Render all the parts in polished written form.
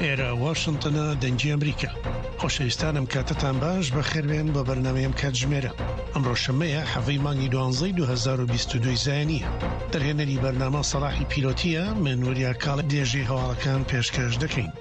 ئێرە واشنتنە دەنگی ئەمریکا. خۆشەویستانم کاتتان باش بەخێربێن بۆ بەرنامەی ئەم کاتژمێرە. ئەمڕۆ شەممەیە حەڤەی مانگی دوانزەی 2022 زایەنییە. دەرهێنەری بەرنامە سەڵاحی پیرۆتییە، من وریا کاڵێ درێژەی هەواڵەکان پێشکەش دەکەین.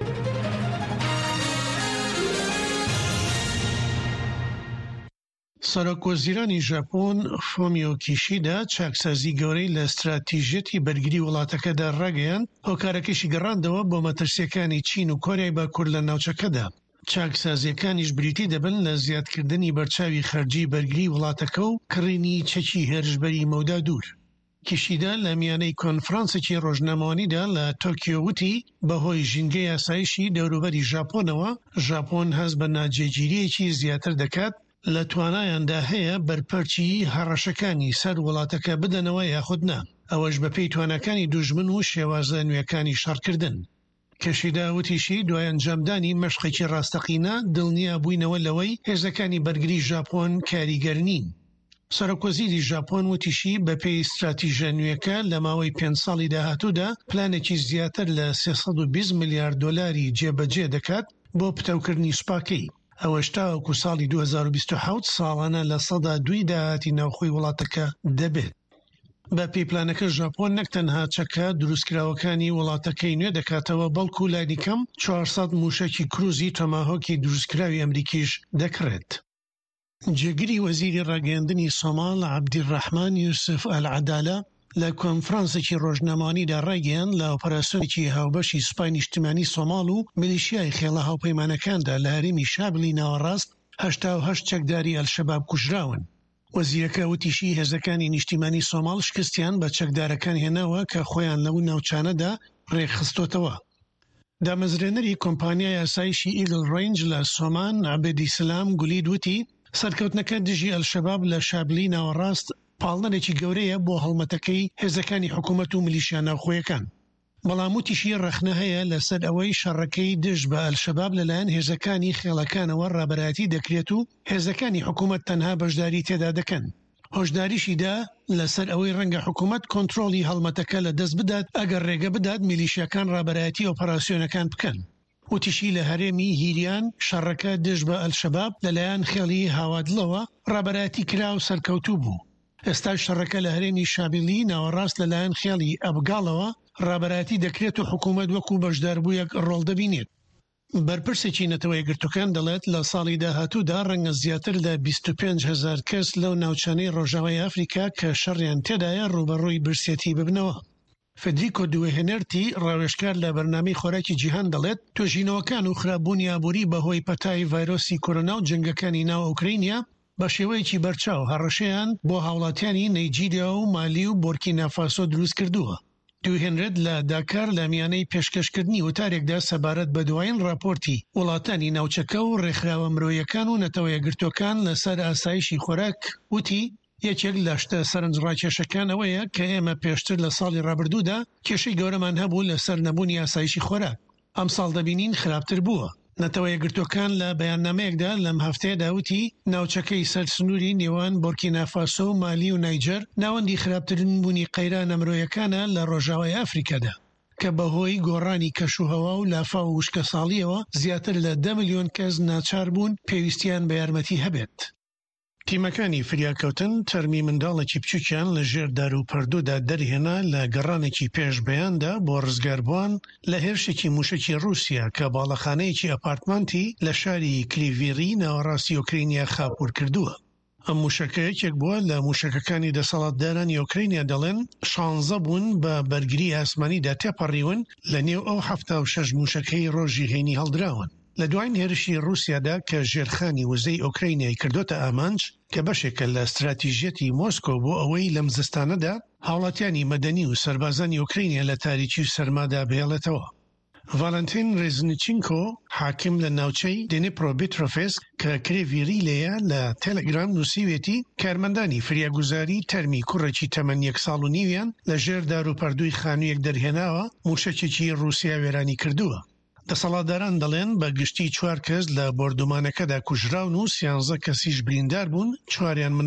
سەرۆک وەزیرانی ژاپۆن فۆمیۆ کیشیدا چاکسازی گەورەی لە ستراتیژیەتی بەرگری وڵاتەکەدا ڕاگەیاند، هۆکارەکەشی گەڕاندەوە بۆ مەترسییەکانی چین و کۆریای باکوور لە ناوچەکەدا. چاکسازییەکانیش بریتی دەبن لە زیادکردنی بەرچاوی خەرجی بەرگری وڵاتەکە و کڕینی چەکی هێرشبەری مەودا دوور. کیشیدا لە میانەی کۆنفرانسێکی ڕۆژنامەوانیدا لە تۆکیۆ وتی، بەهۆی ژینگەی ئاسایشی دەوروبەری ژاپۆنەوە، ژاپۆن هەست بە ناجێگیرییەکی زیاتر دەکات، لە توانایاندا هەیە بەرپەرچی هەڕەشەکانی سەر وڵاتەکە بدەنەوە یاخود نا، ئەوەش بەپێی تواناکانی دوژمن و شێوازە نوێکانی شەڕکردن. کیشیدا وتیشی، دوای ئەنجامدانی مەشقێکی ڕاستەقینە، دڵنیا بووینەوە لەوەی هێزەکانی بەرگری ژاپۆن کاریگەر نین. سەرۆکوەزیری ژاپۆن وتیشی، بەپێی ستراتیژە نوێکە، لە ماوەی پێنج ساڵی داهاتوودا پلانێکی زیاتر لە 320 ملیار دۆلاری جێبەجێ دەکات بۆ پتەوکردنی سوپاکەی، ئەوەش تاوەکو ساڵی 2027 ساڵانە 2% داهاتی ناوخۆی وڵاتەکە دەبێت. بە پێی پلانەکە ژاپۆن نەک تەنها چەکە دروستکراوەکانی وڵاتەکەی نوێ دەکاتەوە، بەڵکو لانیکەم 400 موشەکی کروزی تۆماهۆکی دروستکراوی ئەمریکیش دەکڕێت. جێگری وەزیری ڕاگەیاندنی سۆماڵ عەبدیلڕەحمان یوسف ئەلعەدالە لە کۆنفرانسێکی ڕۆژنامەوانیدا ڕایگەیاند لە ئۆپەراسیۆنێکی هاوبەشی سوپای نیشتیمانی سۆماڵ و میلیشیای خێڵە هاوپەیمانەکاندا لە هەرێمی شابلی ناوەڕاست 88 چەکداری ئەلشەباب کوژراون. وەزیرەکە وتیشی، هێزەکانی نیشتیمانی سۆماڵ شکستیان بە چەکدارەکان هێناوە کە خۆیان لەو ناوچانەدا ڕێکخستۆتەوە. دامەزرێنەری کۆمپانیای ئاسایشی ئیگڵ ڕەینج لە سۆمان، عەبدیسلام گولید وتی، سەرکەوتنەکە دژی ئەلشەباب لە شابلی ناوەڕاست پاڵنەرێکی گەورەیە بۆ هەڵمەتەکەی هێزەکانی حکومەت و میلیشیا ناوخۆیەکان. بەڵام وتیشی ڕەخنە هەیە لەسەر ئەوەی شەڕەکەی دژ بە ئەلشەباب لەلایەن هێزەکانی خێڵەکانەوە ڕابەرایەتی دەکرێت و هێزەکانی حکومەت تەنها بەشداری تێدا دەکەن. هۆشداریشی دا لەسەر ئەوەی ڕەنگە حکومەت کۆنترۆڵی هەڵمەتەکە لەدەست بدات ئەگەر ڕێگە بدات میلیشیاکان ڕابەرایەتی ئۆپەراسیۆنەکان بکەن. وتیشی لە هەرێمی هیریان شەڕەکە دژ بە ئەلشەباب لەلایەن خێڵی هاوادڵەوە ڕابەرایەتی کرا و سەرکەوتوو بوو. ئێستاش شەڕەکە لە هەرێمی شابیلی ناوەڕاست لەلایەن خێڵی ئەبگاڵەوە ڕابەرایەتی دەکرێت و حکومەت وەکو بەشداربوویەک ڕۆڵ دەبینێت. بەرپرسێکی نەتەوەیەکگرتووکان دەڵێت لە ساڵی داهاتوودا ڕەنگە زیاتر لە 25 هەزار کەس لەو ناوچانەی ڕۆژاوای ئەفریکا کە شەڕیان تێدایە ڕووبەڕووی برسێتی ببنەوە. فدریکۆ دوهێنرتی، ڕاوێژکار لە بەرنامەی خۆراکی جیهان دەڵێت، توێژینەوەکان و خراپبوونی ئابووری بەهۆی پەتای ڤایرۆسی کۆرۆنا و جەنگەکانی ناو ئۆکرەینیا بە شێوەیەکی بەرچاو هەڕەشەیان بۆ هاوڵاتیانی نەیجیریا و مالی و بۆرکینافاسۆ دروستکردووە. دوهێنرت لە داکار لە میانەی پێشکەشکردنی وتارێکدا سەبارەت بە دوایین ڕاپۆرتی وڵاتانی ناوچەکە و ڕێکخراوە مرۆییەکان و نەتەوەیەکگرتووەکان لەسەر ئاسایشی خۆراک وتی، یەکێک لە شتە سەرنجڕاکێشەکان ئەوەیە کە ئێمە پێشتر لە ساڵی ڕابردوودا کێشەی گەورەمان هەبوو لەسەر نەبوونی ئاسایشی خۆراک، ئەمساڵ دەبینین خراپتر بووە. نەتەوە یەکگرتووەکان لە بەیاننامەیەکدا لەم هەفتەیەدا وتی، ناوچەکەی سەر سنووری نێوان بۆرکینافاسۆ و مالی و نایجەر ناوەندی خراپترین بوونی قەیرانە مرۆیەکانە لە ڕۆژاوای ئەفریکادا، کە بەهۆی گۆڕانی کەشوهەوا و لافاو و وشکەساڵییەوە زیاتر لە دە ملیۆن کەس ناچار بوون پێویستیان بە یارمەتی هەبێت. تیمەکانی فریاکەوتن تەرمی منداڵێکی بچووکیان لە ژێر داروپەردوودا دەرهێنا لە گەڕانێکی پێش بەیاندا بۆ ڕزگاربووان لە هێرشێکی مووشەکی ڕووسیا کە باڵەخانەیەکی ئەپارتمانتی لە شاری کریڤیری ناوەڕاستی ئۆکرەینیا خاپوور کردووە. ئەم مووشەکە یەکێک بووە لە مووشەکەکانی دەسەڵاتدارانی ئۆکرەینیا دەڵێن شانزە بوون بە بەرگری ئاسمانیدا تێپەڕیون لە نێو ئەو 76 مووشەکەی ڕۆژی هەینی هەڵدراون. لە دواین هێرشی ڕووسیادا کە ژێرخانی وزەی ئۆکرەینیای کردۆتە ئامانج، کە بەشێکە لە ستراتیژیەتی مۆسکۆ بۆ ئەوەی لەم زستانەدا هاوڵاتیانی مەدەنی و سەربازانی ئۆکرەینیا لە تاریکی و سەرمادا بهێڵێتەوە. ڤالنتین ڕێزنیچینکۆ، حاکم لە ناوچەی دنیپرۆبیترۆفسک کە کرێڤی ری لێیە، لە تێلێگرام نووسیویەتی، کارمەندانی فریاگوزاری تەرمی کوڕێکی تەمەن یەک ساڵ و نیویان لە ژێر داروپەردووی خانوویەک دەرهێناوە، مووشەکێکی ڕووسیا وێرانی کردووە. دەسەڵاتداران دەڵێن بە گشتی چوار کەس لە بۆردومانەکەدا کوژراون و سیانزە کەسیش بریندار بوون، چواریان منداڵن.